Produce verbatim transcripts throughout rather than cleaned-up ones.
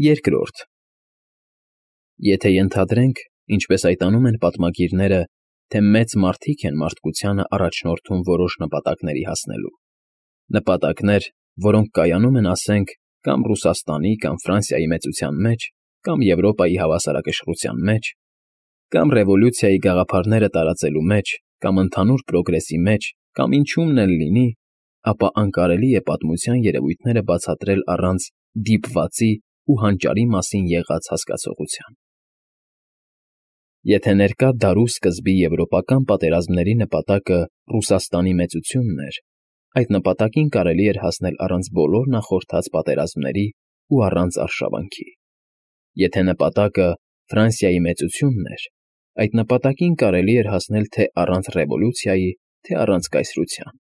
Երկրորդ Եթե ենթադրենք, ինչպես այդ անում են պատմագիրները, թե մեծ մարդիկ են մարդկությանը առաջնորդում որոշ նպատակների հասնելու, նպատակներ, որոնք կայանում են, ասենք, կամ Ռուսաստանի կամ Ֆրանսիայի մեծության մեջ, կամ Եվրոպայի հավասարակշռության մեջ, կամ ռևոլյուցիայի գաղափարները տարածելու մեջ, կամ ընդհանուր պրոգրեսի մեջ, կամ ինչումն էլ լինի, ապա անկարելի է պատմության երևույթները բացատրել առանց դիպվածի ու հանճարի մասին եղած հասկացողության։ Եթե ներկա դարու սկզբի եվրոպական պատերազմների նպատակը Ռուսաստանի մեծությունն էր, այդ նպատակին կարելի էր հասնել առանց բոլոր նախորդած պատերազմների ու առանց արշավանքի։ Եթե նպատակը Ֆրանսիայի մեծությունն էր, այդ նպատակին կարելի էր հասնել թե առանց ռևոլյուցիայի, թե առանց կայսրության։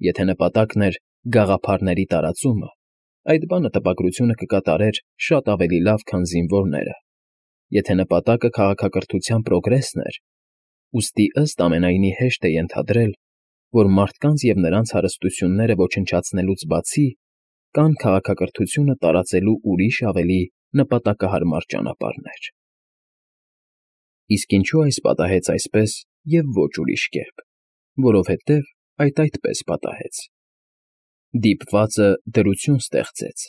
Եթե նպատակն էր գաղափարների տարածումը, այդ բանը տպագրությունը կկատարեր շատ ավելի լավ, քան զինվորները։ Եթե նպատակը քաղաքակրթության պրոգրեսն էր, ուստի ըստ ամենայնի հեշտ է ենթադրել, որ մարդկանց և նրանց հարստությունները ոչնչացնելուց բացի, կան քաղաքակրթությունը տարածելու ուրիշ ավելի նպատակահարմար ճանապարհներ։ Իսկ ինչու այս պատահեց այսպես և ոչ ուրիշ կերպ, որովհետև այդ այդպես պատահեց։ Դիպվածը դրություն ստեղծեց,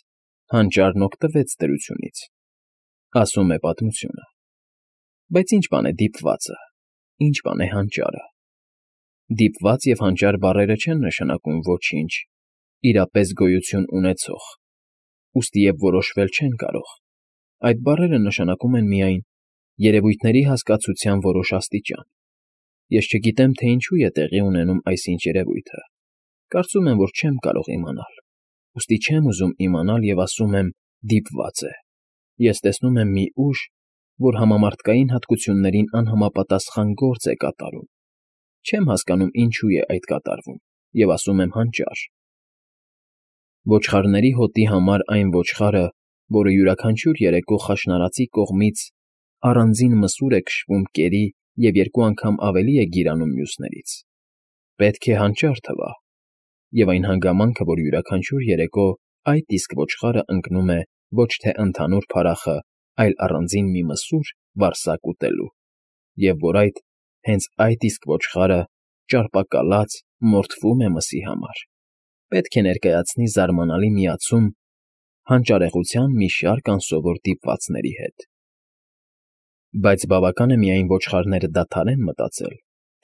հանճարն օգտվեց դրությունից, ասում է պատմությունը։ Բայց ի՞նչ բան է դիպվածը, ի՞նչ բան է հանճարը։ Դիպված և հանճար բառերը չեն նշանակում ոչինչ, իրապես գոյություն ունեցող, ուստի և որոշվել չեն կարող։ Այդ բառերը նշանակում են միայն երևույթների հասկացության որոշ աստիճան։ Ես չգիտեմ, թե ինչու է տեղի ունենում այսինչ երևույթը։ Կարծում եմ, որ չեմ կարող իմանալ, ուստի չեմ ուզում իմանալ և ասում եմ դիպված է։ Ես տեսնում եմ մի ուժ, որ համամարտկային հատկություններին անհամապատասխան գործ է կատարում։ Չեմ հասկանում ինչու է այդ կատարվում և ասում եմ հանճար։ Ոչխարների հոտի համար այն ոչխարը, որը յուրաքանչյուր երեկո խաշնարածի կողմից առանձին մսուր է քշվում կերի և երկու անգամ ավելի է գիրանում մյուսներից, պետք է հանճար թվա, և այն հանգամանքը, որ յուրաքանչյուր երեկո այդ իսկ ոչխարը ընկնում է ոչ թե ընդհանուր փառախը, այլ առանձին մի մսուր վարսակ ուտելու, և որ այդ, հենց այդ իսկ ոչխարը, ճարպակալած, մորթվում է մսի համար, պետք է ներկայացնի զարմանալի միացում հանճարեղության մի շարք անսովոր դիպվածների հետ։ Բայց բավական է միայն ոչխարները դադարեն մտածել,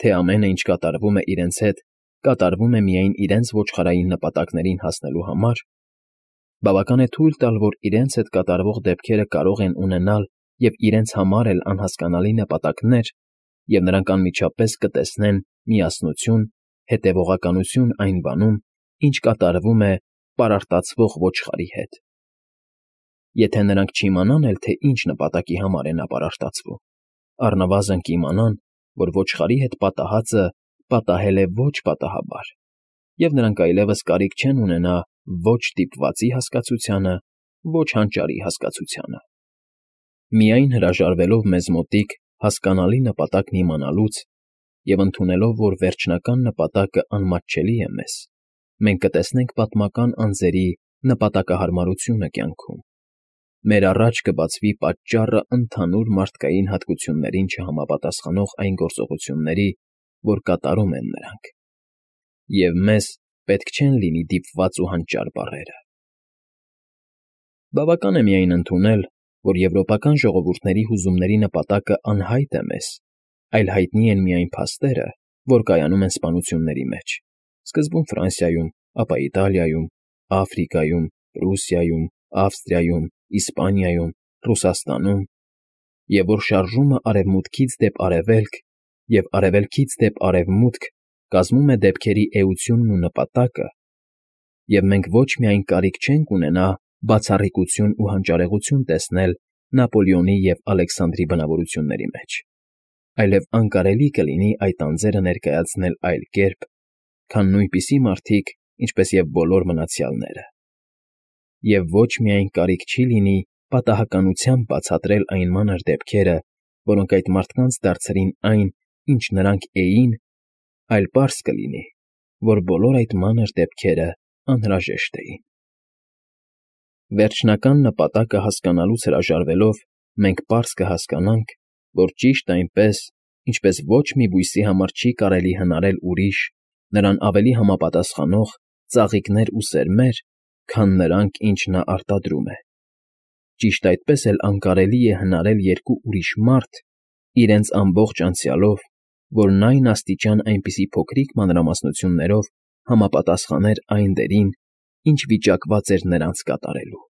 թե ամենը, ինչ կատարվում է իրենց հետ, կատարվում է միայն իրենց ոչխարային նպատակներին հասնելու համար, բավական է թույլ տալ, որ իրենց հետ կատարվող դեպքերը կարող են ունենալ և իրենց համար էլ անհասկանալի նպատակներ, և նրանք անմիջապես կտեսնեն միասնություն, հետևողականություն այն բանում, ինչ կատարվում է պարարտացվող ոչխարի հետ։ Եթե նրանք չիմանան էլ, թե ինչ նպատակի համար է նա պարարտացվում, առնվազն կիմանան, որ ոչխարի հետ պատահածը պատահել է ոչ պատահաբար, և նրանք այլևս կարիք չեն ունենա ոչ դիպվածի հասկացությանը, ոչ հանճարի հասկացությանը։ Միայն հրաժարվելով մեզ մոտիկ հասկանալի նպատակն իմանալուց և ընդունելով, որ վերջնական նպատակը անմատչելի է մեզ, մենք կտեսնենք պատմական անձերի նպատակահարմարությունը կյանքում։ Մեր առաջ կբացվի պատճառը ընդհանուր մարդկային հատկություններին չհամապատասխանող այն գործողությունների, որ կատարում են նրանք։ Եվ մեզ պետք չեն լինի դիպված ու հանճար բառերը։ Բավական է միայն ընդունել, որ եվրոպական ժողովուրդների հուզումների նպատակը անհայտ է մեզ, այլ հայտնի են միայն փաստերը, որ կայանում են սպանությունների մեջ, սկզբում Ֆրանսիայում, ապա Իտալիայում, Աֆրիկայում, Պրուսիայում, Ավստրիայում, Իսպանիայում, Ռուսաստանում, և որ շարժումը արևմուտքից դեպ արևելք և արևելքից դեպ արևմուտք կազմում է դեպքերի էությունն ու նպատակը, և մենք ոչ միայն կարիք չենք ունենա բացառիկություն ու հանճարեղություն տեսնել Նապոլեոնի և Ալեքսանդրի բնավորությունների մեջ, այլև անկարելի կլինի այդ անձերը ներկայացնել այլ կերպ, քան նույնպիսի մարդիկ, ինչպես և բոլոր մնացյալները։ Եվ ոչ միայն կարիք չի լինի պատահականությամբ բացատրել այն մանր դեպքերը, որոնք այդ մարդկանց դարձրին այն, ինչ նրանք էին, այլ պարզ կլինի, որ բոլոր այդ մանր դեպքերը անհրաժեշտ էին։ Վերջնական նպատակը հասկանալուց հրաժարվելով՝ մենք պարզ կհասկանանք, որ ճիշտ այնպես, ինչպես ոչ մի բույսի համար չի կարելի հնարել ուրիշ, նրան ավելի համապատասխանող ծաղիկներ ու սերմեր, քան նրանք, ինչ նա արտադրում է, ճիշտ այդպես էլ անկարելի է հնարել երկու ուրիշ մարդ, իրենց ամբողջ անցյալով, որն այն աստիճան այնպիսի փոքրիկ մանրամասնություններով համապատասխաներ այն դերին, ինչ վիճակված էր նրանց կատարելու։